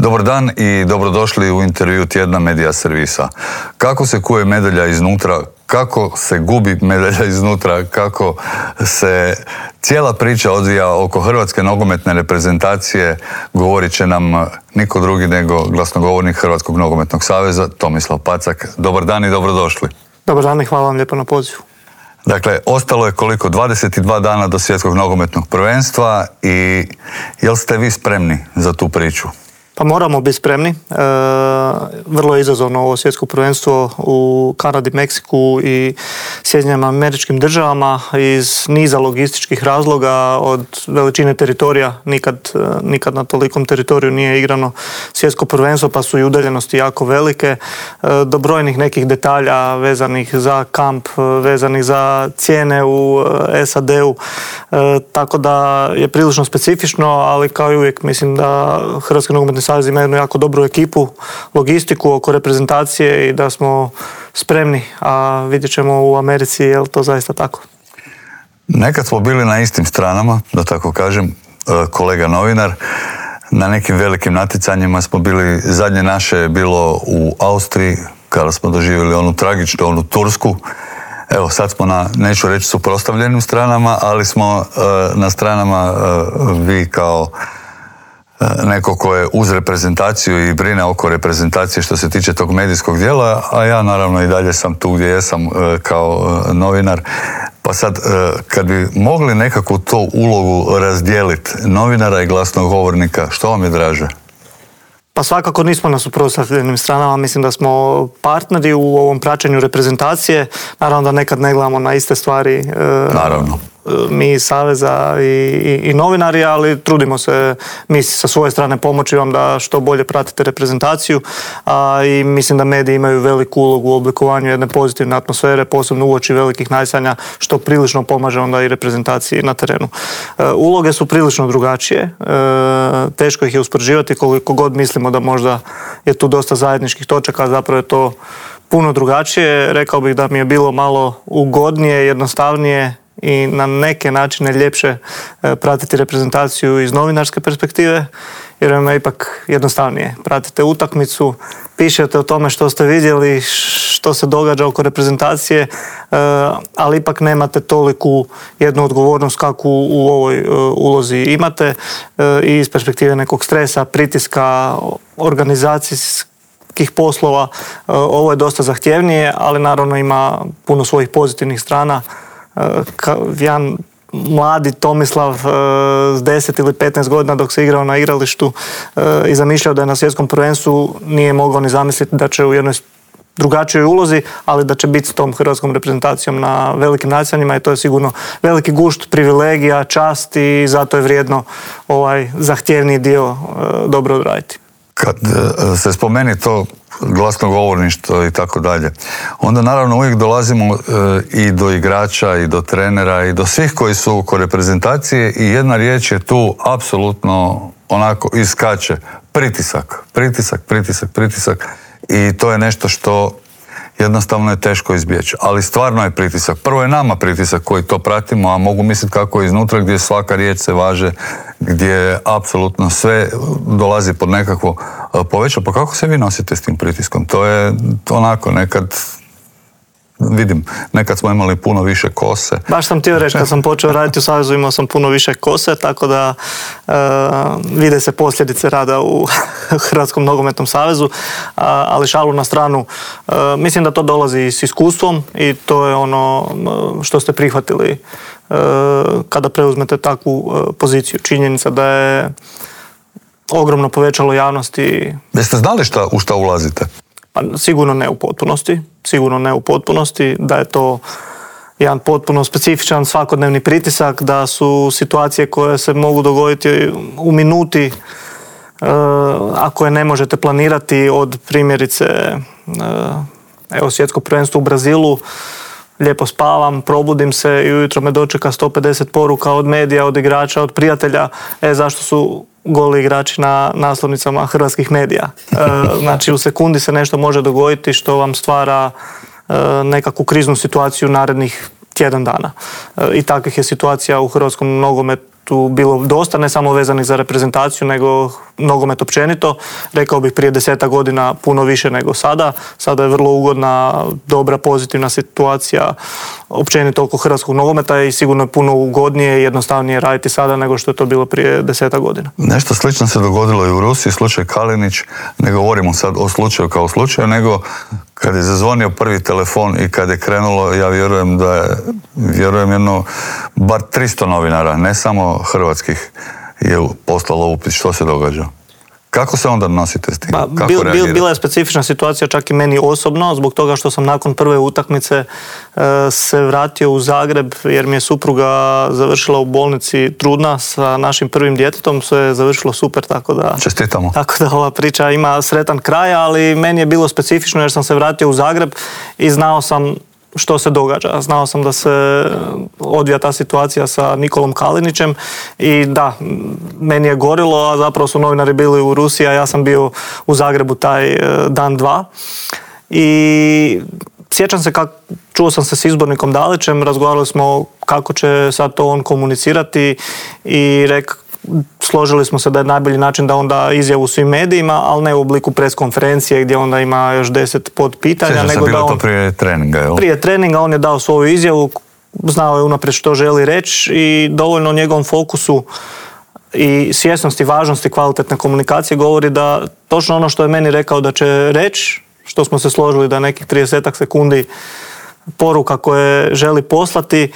Dobar dan i dobrodošli u intervju tjedna Medija servisa. Kako se kuje medalja iznutra, kako se gubi medalja iznutra, kako se cijela priča odvija oko hrvatske nogometne reprezentacije, govorit će nam niko drugi nego glasnogovornik Hrvatskog nogometnog saveza, Tomislav Pacak. Dobar dan i dobrodošli. Dobar dan i hvala vam lijepo na pozivu. Dakle, ostalo je koliko? 22 dana do svjetskog nogometnog prvenstva i jel ste vi spremni za tu priču? Pa moramo biti spremni. Vrlo je izazovno ovo svjetsko prvenstvo u Kanadi, Meksiku i Sjedinjenim Američkim Državama iz niza logističkih razloga, od veličine teritorija. Nikad na tolikom teritoriju nije igrano svjetsko prvenstvo, pa su i udaljenosti jako velike. Do brojnih nekih detalja vezanih za kamp, vezanih za cijene u SAD-u. Tako da je prilično specifično, ali kao i uvijek mislim da Hrvatski nogometni savez ima jednu jako dobru ekipu, logistiku oko reprezentacije i da smo spremni, a vidjet ćemo u Americi je li to zaista tako. Nekad smo bili na istim stranama, da tako kažem, kolega novinar. Na nekim velikim natjecanjima smo bili, zadnje naše je bilo u Austriji, kada smo doživjeli onu tragičnu, onu Tursku. Evo, sad smo na, neću reći suprotstavljenim stranama, ali smo na stranama vi kao neko ko je uz reprezentaciju i brine oko reprezentacije što se tiče tog medijskog dijela, a ja naravno i dalje sam tu gdje jesam kao novinar. Pa sad, kad bi mogli nekakvu tu ulogu razdijeliti novinara i glasnogovornika, što vam je draže? Pa svakako nismo na suprotstavljenim stranama, mislim da smo partneri u ovom praćenju reprezentacije. Naravno da nekad ne gledamo na iste stvari. Naravno. Mi iz Saveza i novinari, ali trudimo se mi sa svoje strane pomoći vam da što bolje pratite reprezentaciju, i mislim da mediji imaju veliku ulogu u oblikovanju jedne pozitivne atmosfere, posebno uoči velikih natjecanja, što prilično pomaže onda i reprezentaciji na terenu. Uloge su prilično drugačije, teško ih je uspoređivati, koliko god mislimo da možda je tu dosta zajedničkih točaka, zapravo je to puno drugačije. Rekao bih da mi je bilo malo ugodnije, jednostavnije i na neke načine ljepše pratiti reprezentaciju iz novinarske perspektive, jer vam je ipak jednostavnije. Pratite utakmicu, pišete o tome što ste vidjeli, što se događa oko reprezentacije, ali ipak nemate toliku jednu odgovornost kakvu u ovoj ulozi imate, i iz perspektive nekog stresa, pritiska, organizacijskih poslova. Ovo je dosta zahtjevnije, ali naravno ima puno svojih pozitivnih strana. Jedan mladi Tomislav s 10 ili 15 godina dok se igrao na igralištu i zamišljao da je na svjetskom prvenstvu, nije mogao ni zamisliti da će u jednoj drugačijoj ulozi, ali da će biti s tom hrvatskom reprezentacijom na velikim natjecanjima, i to je sigurno veliki gušt, privilegija, čast, i zato je vrijedno ovaj zahtjevniji dio dobro odraditi. Kad se spomeni to glasnogovorništvo i tako dalje, onda naravno uvijek dolazimo i do igrača i do trenera i do svih koji su oko reprezentacije, i jedna riječ je tu apsolutno onako iskače: pritisak, pritisak, pritisak, pritisak, i to je nešto što jednostavno je teško izbjeći. Ali stvarno je pritisak. Prvo je nama pritisak koji to pratimo, a mogu misliti kako je iznutra, gdje svaka riječ se važe, gdje apsolutno sve dolazi pod nekakvo povećalo. Pa kako se vi nosite s tim pritiskom? To je onako, nekad smo imali puno više kose. Baš sam htio reći, kad sam počeo raditi u Savezu imao sam puno više kose, tako da vide se posljedice rada u Hrvatskom nogometnom savezu, ali šalu na stranu. Mislim da to dolazi s iskustvom i to je ono što ste prihvatili kada preuzmete takvu poziciju. Činjenica da je ogromno povećalo javnosti. Jeste znali u šta ulazite? Pa, sigurno ne u potpunosti, da je to jedan potpuno specifičan svakodnevni pritisak, da su situacije koje se mogu dogoditi u minuti, ako je ne možete planirati, od primjerice svjetsko prvenstvo u Brazilu, lijepo spavam, probudim se i ujutro me dočeka 150 poruka od medija, od igrača, od prijatelja, zašto su goli igrači na naslovnicama hrvatskih medija. Znači u sekundi se nešto može dogoditi što vam stvara nekakvu kriznu situaciju narednih tjedan dana. I takvih je situacija u hrvatskom nogometu bilo dosta, ne samo vezanih za reprezentaciju, nego nogomet općenito. Rekao bih prije 10 godina puno više nego sada. Sada je vrlo ugodna, dobra, pozitivna situacija općenito oko hrvatskog nogometa i sigurno je puno ugodnije i jednostavnije raditi sada nego što je to bilo prije 10 godina. Nešto slično se dogodilo i u Rusiji, slučaj Kalinić. Ne govorimo sad o slučaju kao slučaju, nego kad je zazvonio prvi telefon i kad je krenulo, ja vjerujem jedno bar 300 novinara, ne samo hrvatskih, je poslalo upit što se događa. Kako se onda nosite s tim? Bila je specifična situacija čak i meni osobno, zbog toga što sam nakon prve utakmice se vratio u Zagreb jer mi je supruga završila u bolnici trudna sa našim prvim djetetom, sve je završilo super, tako da... Čestitamo. Tako da ova priča ima sretan kraj, ali meni je bilo specifično jer sam se vratio u Zagreb i znao sam što se događa. Znao sam da se odvija ta situacija sa Nikolom Kalinićem i da, meni je gorilo, a zapravo su novinari bili u Rusiji, a ja sam bio u Zagrebu taj dan, dva. I sjećam se čuo sam se s izbornikom Dalićem, razgovarali smo kako će sad to on komunicirati i složili smo se da je najbolji način da onda izjavu svim medijima, ali ne u obliku pres konferencije gdje onda ima još 10 podpitanja. Sjećam se, bilo to prije treninga, jel? Prije treninga on je dao svoju izjavu, znao je unaprijed što želi reći i dovoljno o njegovom fokusu i svjesnosti, važnosti kvalitetne komunikacije govori da točno ono što je meni rekao da će reći, što smo se složili da nekih 30 sekundi poruka koje želi poslati,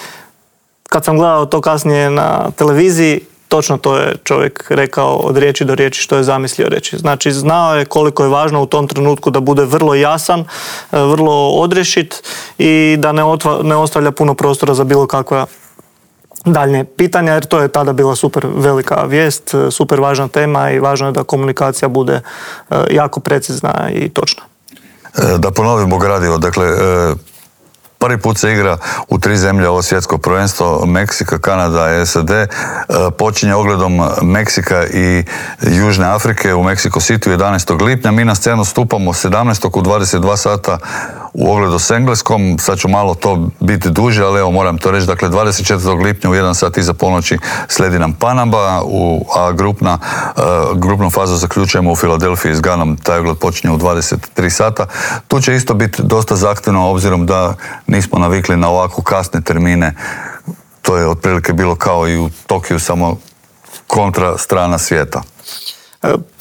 kad sam gledao to kasnije na televiziji, točno to je čovjek rekao od riječi do riječi što je zamislio reći. Znači, znao je koliko je važno u tom trenutku da bude vrlo jasan, vrlo odrješit i da ne ostavlja puno prostora za bilo kakva daljnje pitanja, jer to je tada bila super velika vijest, super važna tema i važno je da komunikacija bude jako precizna i točna. Da ponovimo gradivo, dakle, prvi put se igra u 3 zemlje ovo svjetsko prvenstvo, Meksika, Kanada i SAD. Počinje ogledom Meksika i Južne Afrike u Mexico City 11. lipnja. Mi na scenu stupamo 17. u 22 sata u ogledu s Engleskom. Sad ću malo to biti duže, ali evo moram to reći. Dakle, 24. lipnja u 1 sat iza ponoći slijedi nam Panama, a grupnu fazu zaključujemo u Filadelfiji s Ganom. Taj ogled počinje u 23 sata. Tu će isto biti dosta zahtjevno, obzirom da nismo navikli na ovako kasne termine. To je otprilike bilo kao i u Tokiju, samo kontra strana svijeta.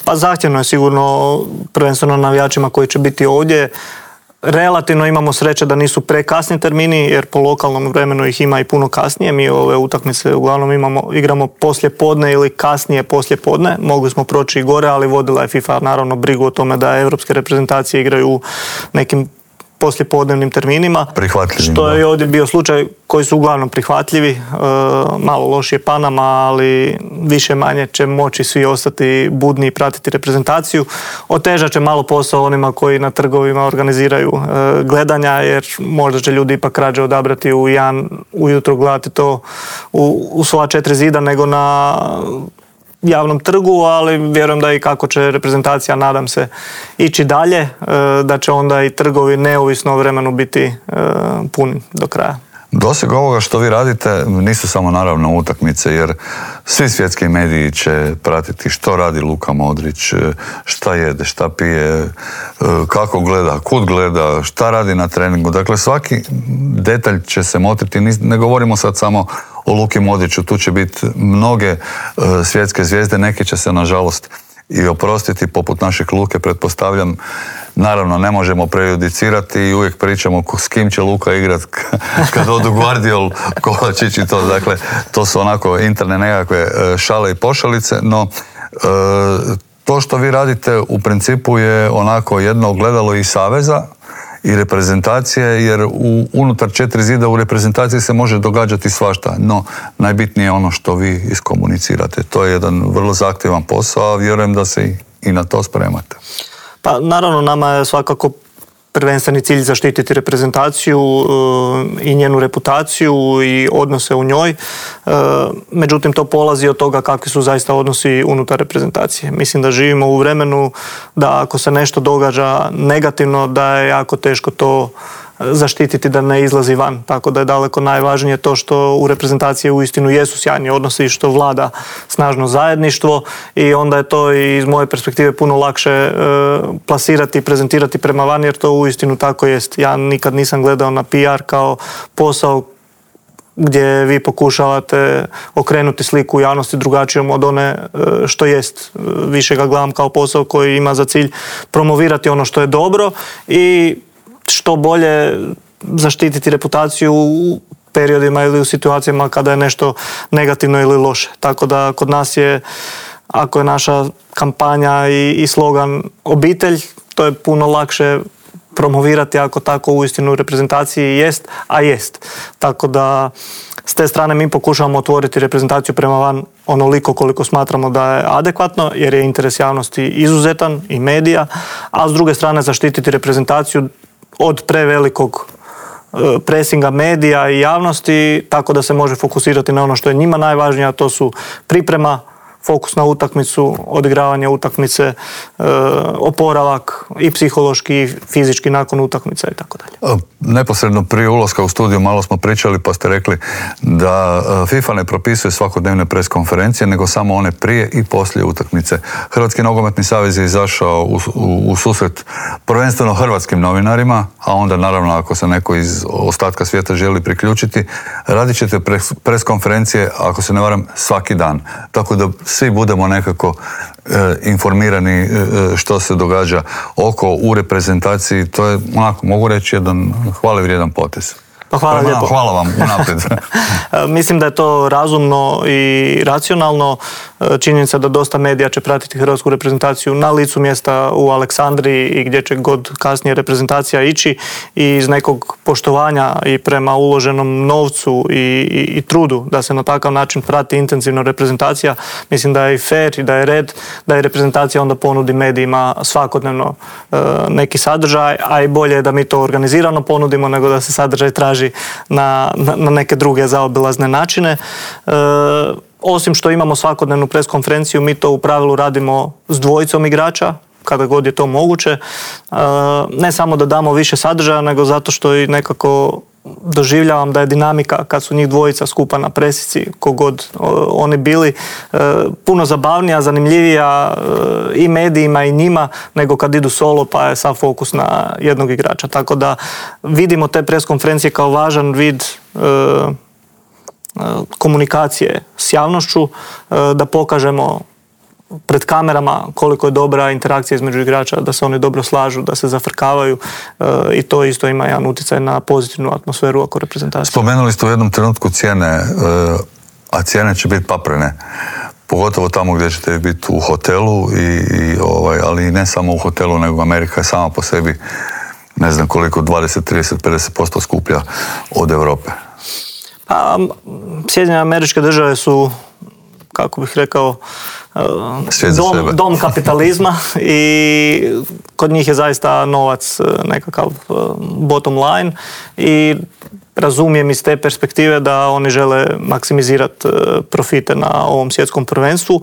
Pa zahtjevno je sigurno, prvenstveno navijačima koji će biti ovdje. Relativno imamo sreće da nisu prekasni termini, jer po lokalnom vremenu ih ima i puno kasnije. Mi ove utakmice uglavnom igramo poslije podne ili kasnije poslije podne. Mogli smo proći i gore, ali vodila je FIFA naravno brigu o tome da evropske reprezentacije igraju u nekim poslijepodnevnim terminima. Prihvatljivim. Što je ovdje bio slučaj koji su uglavnom prihvatljivi. Malo lošije Panama, ali više manje će moći svi ostati budni i pratiti reprezentaciju. Otežat će malo posao onima koji na trgovima organiziraju gledanja, jer možda će ljudi ipak rađe odabrati u 1 ujutro gledati to u svoja 4 zida nego na javnom trgu, ali vjerujem da i kako će reprezentacija, nadam se, ići dalje, da će onda i trgovi neovisno o vremenu biti puni do kraja. Doseg ovoga što vi radite nisu samo naravno utakmice, jer svi svjetski mediji će pratiti što radi Luka Modrić, šta jede, šta pije, kako gleda, kud gleda, šta radi na treningu. Dakle, svaki detalj će se motriti. Ne govorimo sad samo o Luki Modriću, tu će biti mnoge svjetske zvijezde, neke će se nažalost i oprostiti, poput našeg Luke, pretpostavljam. Naravno, ne možemo prejudicirati i uvijek pričamo s kim će Luka igrat kad odu Guardiol, Kovačić i to. Dakle, to su onako interne nekakve šale i pošalice, no to što vi radite u principu je onako jedno ogledalo i saveza i reprezentacije, jer unutar 4 zida u reprezentaciji se može događati svašta, no najbitnije je ono što vi iskomunicirate. To je jedan vrlo zahtjevan posao, a vjerujem da se i na to spremate. Pa naravno, nama je svakako prvenstveni cilj zaštititi reprezentaciju i njenu reputaciju i odnose u njoj. Međutim, to polazi od toga kakvi su zaista odnosi unutar reprezentacije. Mislim da živimo u vremenu da ako se nešto događa negativno, da je jako teško to zaštititi da ne izlazi van. Tako da je daleko najvažnije to što u reprezentaciji uistinu jesu sjajni odnosi i što vlada snažno zajedništvo i onda je to i iz moje perspektive puno lakše plasirati i prezentirati prema van jer to uistinu tako jest. Ja nikad nisam gledao na PR kao posao gdje vi pokušavate okrenuti sliku u javnosti drugačijom od one što jest. Više ga gledam kao posao koji ima za cilj promovirati ono što je dobro i što bolje zaštititi reputaciju u periodima ili u situacijama kada je nešto negativno ili loše. Tako da kod nas je, ako je naša kampanja i slogan obitelj, to je puno lakše promovirati ako tako uistinu u reprezentaciji jest, a jest. Tako da s te strane mi pokušavamo otvoriti reprezentaciju prema van onoliko koliko smatramo da je adekvatno jer je interes javnosti izuzetan i medija, a s druge strane zaštititi reprezentaciju od prevelikog presinga medija i javnosti tako da se može fokusirati na ono što je njima najvažnije, a to su priprema, fokus na utakmicu, odigravanje utakmice, oporavak i psihološki i fizički nakon utakmice i tako dalje. Neposredno prije ulaska u studiju malo smo pričali pa ste rekli da FIFA ne propisuje svakodnevne pres konferencije nego samo one prije i poslije utakmice. Hrvatski nogometni savez je izašao u susret prvenstveno hrvatskim novinarima, a onda naravno ako se neko iz ostatka svijeta želi priključiti, radit ćete pres konferencije, ako se ne varam, svaki dan. Tako da svi budemo nekako informirani što se događa u reprezentaciji. To je, onako, mogu reći, jedan hvale vrijedan potez. Pa hvala lijepo. Hvala vam unaprijed. Mislim da je to razumno i racionalno. Činjenica da dosta medija će pratiti hrvatsku reprezentaciju na licu mjesta u Aleksandriji i gdje će god kasnije reprezentacija ići i iz nekog poštovanja i prema uloženom novcu i trudu da se na takav način prati intenzivno reprezentacija. Mislim da je i fair i da je red da je reprezentacija onda ponudi medijima svakodnevno neki sadržaj, a i bolje je da mi to organizirano ponudimo nego da se sadržaj traži na neke druge zaobilazne načine. Osim što imamo svakodnevnu pres konferenciju, mi to u pravilu radimo s dvojicom igrača, kada god je to moguće. Ne samo da damo više sadržaja, nego zato što i nekako doživljavam da je dinamika kad su njih dvojica skupa na presici, kogod oni bili, puno zabavnija, zanimljivija i medijima i njima nego kad idu solo pa je sav fokus na jednog igrača. Tako da vidimo te pres konferencije kao važan vid komunikacije s javnošću, da pokažemo pred kamerama koliko je dobra interakcija između igrača, da se oni dobro slažu, da se zafrkavaju i to isto ima jedan utjecaj na pozitivnu atmosferu oko reprezentacije. Spomenuli ste u jednom trenutku cijene, a cijene će biti paprene. Pogotovo tamo gdje ćete biti u hotelu, ali ne samo u hotelu, nego Amerika je sama po sebi, ne znam koliko, 20, 30, 50% skuplja od Europe. Pa, Sjedinjene Američke Države su, kako bih rekao, dom kapitalizma i kod njih je zaista novac nekakav bottom line i razumijem iz te perspektive da oni žele maksimizirati profite na ovom svjetskom prvenstvu.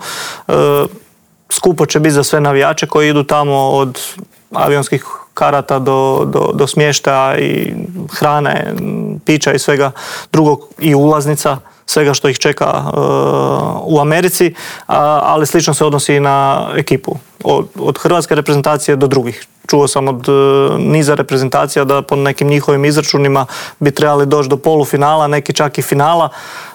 Skupo će biti za sve navijače koji idu tamo, od avionskih karata do smještaja i hrane, pića i svega drugog i ulaznica, svega što ih čeka u Americi, ali slično se odnosi i na ekipu. Od hrvatske reprezentacije do drugih. Čuo sam od niza reprezentacija da po nekim njihovim izračunima bi trebali doći do polufinala, neki čak i finala,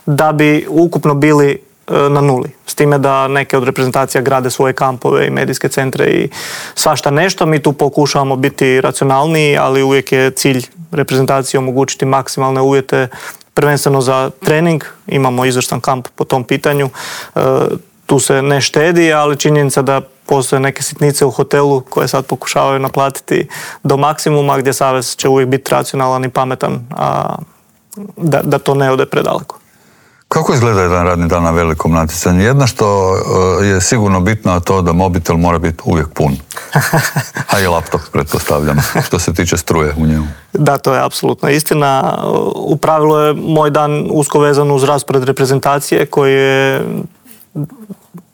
da bi ukupno bili na nuli. S time da neke od reprezentacija grade svoje kampove i medijske centre i svašta nešto. Mi tu pokušavamo biti racionalniji, ali uvijek je cilj reprezentacije omogućiti maksimalne uvjete prvenstveno za trening. Imamo izvrstan kamp po tom pitanju. Tu se ne štedi, ali činjenica da postoje neke sitnice u hotelu koje sad pokušavaju naplatiti do maksimuma, gdje savez će uvijek biti racionalan i pametan, a da to ne ode predaleko. Kako izgleda jedan radni dan na velikom natjecanju? Jedno što je sigurno bitno, a to da mobitel mora biti uvijek pun. A i laptop, pretpostavljam, što se tiče struje u njemu. Da, to je apsolutno istina. U pravilu je moj dan usko vezan uz raspored reprezentacije koji je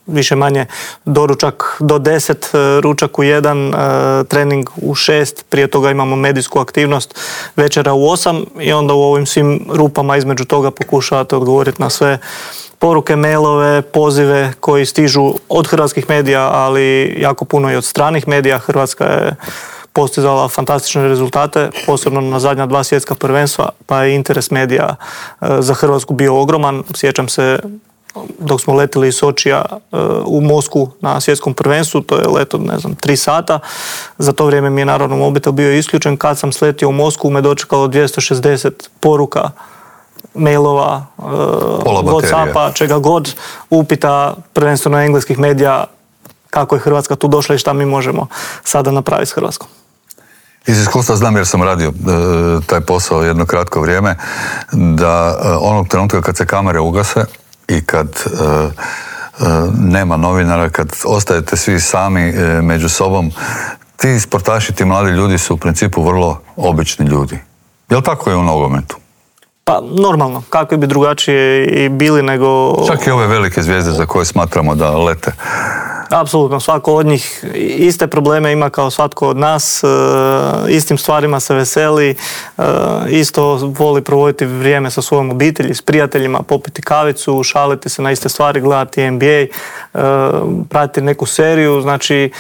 više manje doručak do 10, ručak u 1, trening u 6, prije toga imamo medijsku aktivnost, večera u 8 i onda u ovim svim rupama između toga pokušavate odgovoriti na sve poruke, mailove, pozive koji stižu od hrvatskih medija, ali jako puno i od stranih medija. Hrvatska je postizala fantastične rezultate, posebno na zadnja 2 svjetska prvenstva, pa je interes medija za Hrvatsku bio ogroman. Sjećam se dok smo letili iz Sočija u Moskvu na svjetskom prvenstvu, to je let od 3 sata. Za to vrijeme mi je naravno mobitel bio isključen. Kad sam sletio u Moskvu me dočekalo 260 poruka, mailova, Whatsappa, čega god, upita prvenstveno engleskih medija kako je Hrvatska tu došla i šta mi možemo sada napraviti s Hrvatskom. Iz iskustva znam jer sam radio taj posao jedno kratko vrijeme, da onog trenutka kad se kamere ugase i kad nema novinara, kad ostajete svi sami među sobom, ti sportaši, ti mladi ljudi su u principu vrlo obični ljudi. Je li tako je u nogometu? Pa normalno, kakvi bi drugačije i bili nego... Čak i ove velike zvijezde za koje smatramo da lete. Apsolutno, svako od njih iste probleme ima kao svatko od nas, istim stvarima se veseli, isto voli provoditi vrijeme sa svojom obitelji, s prijateljima, popiti kavicu, šaliti se na iste stvari, gledati NBA, pratiti neku seriju, znači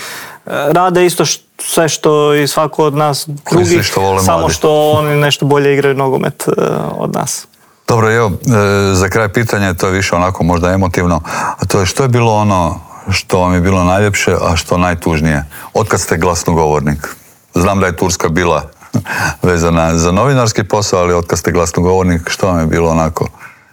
rade isto sve što i svako od nas drugih, samo što oni nešto bolje igraju nogomet od nas. Dobro, evo, za kraj pitanja, to je više onako možda emotivno, a to je što je bilo ono što vam je bilo najljepše, a što najtužnije? Otkad ste glasnogovornik? Znam da je Turska bila vezana za novinarski posao, ali otkad ste glasnogovornik, što vam je bilo onako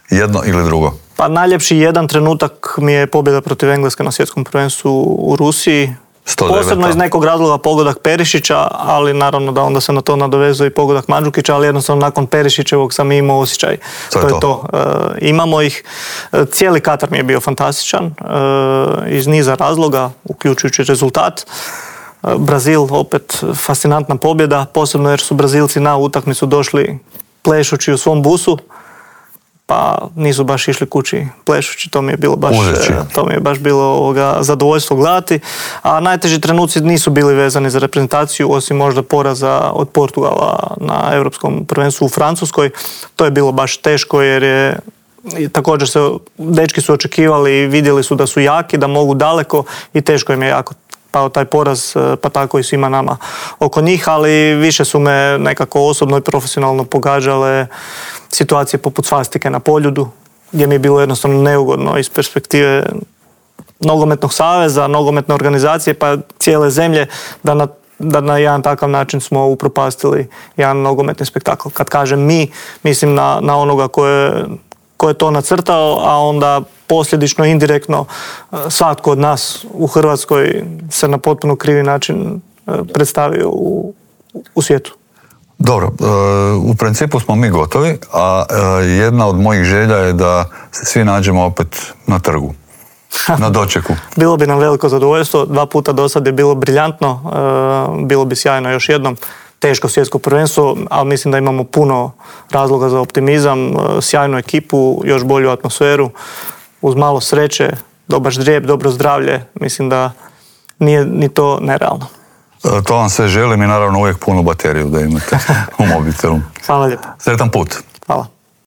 jedno ili drugo? Pa najljepši jedan trenutak mi je pobjeda protiv Engleske na svjetskom prvenstvu u Rusiji. 109. Posebno iz nekog razloga pogodak Perišića, ali naravno da onda se na to nadovezuje i pogodak Mandžukića, ali jednostavno nakon Perišićevog sam imao osjećaj. To je to. Imamo ih. Cijeli Katar mi je bio fantastičan iz niza razloga, uključujući rezultat. Brazil, opet fascinantna pobjeda, posebno jer su Brazilci na utakmicu došli plešući u svom busu, pa nisu baš išli kući plešući, to mi je baš bilo zadovoljstvo gledati. A najteži trenuci nisu bili vezani za reprezentaciju, osim možda poraza od Portugala na Europskom prvenstvu u Francuskoj. To je bilo baš teško jer je također dečki su očekivali i vidjeli su da su jaki, da mogu daleko i teško im je jako pao taj poraz, pa tako i svima nama oko njih, ali više su me nekako osobno i profesionalno pogađale situacije poput svastike na Poljudu, gdje mi je bilo jednostavno neugodno iz perspektive nogometnog saveza, nogometne organizacije, pa cijele zemlje, da na jedan takav način smo upropastili jedan nogometni spektakl. Kad kažem mi, mislim na onoga ko je to nacrtao, a onda posljedično, indirektno, svatko od nas u Hrvatskoj se na potpuno krivi način predstavio u svijetu. Dobro, u principu smo mi gotovi, a jedna od mojih želja je da se svi nađemo opet na trgu, na dočeku. Bilo bi nam veliko zadovoljstvo, 2 puta do sad je bilo briljantno, bilo bi sjajno još jednom. Teško svjetsko prvenstvo, ali mislim da imamo puno razloga za optimizam, sjajnu ekipu, još bolju atmosferu, uz malo sreće, dobar ždrijeb, dobro zdravlje, mislim da nije ni to nerealno. To vam sve želim i naravno uvijek punu bateriju da imate u mobitelu. Hvala lijepo. Sretan put. Hvala.